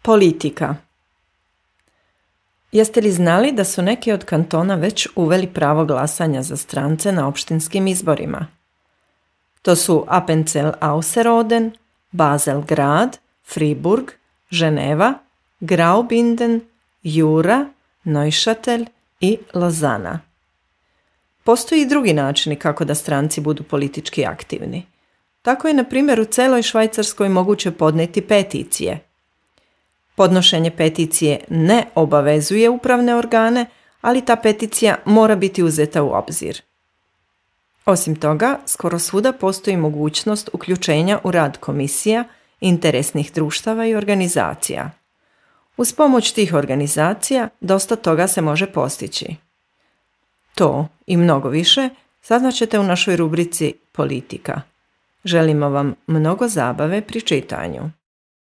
Politika. Jeste li znali da su neki od kantona već uveli pravo glasanja za strance na opštinskim izborima? To su Appenzell-Ausserrhoden, Basel-Grad, Friburg, Ženeva, Graubünden, Jura, Neuchâtel i Lozana. Postoji i drugi načini kako da stranci budu politički aktivni. Tako je, na primjer, u celoj Švajcarskoj moguće podneti peticije. Podnošenje peticije ne obavezuje upravne organe, ali ta peticija mora biti uzeta u obzir. Osim toga, skoro svuda postoji mogućnost uključenja u rad komisija, interesnih društava i organizacija. Uz pomoć tih organizacija dosta toga se može postići. To i mnogo više saznaćete u našoj rubrici Politika. Želimo vam mnogo zabave pri čitanju.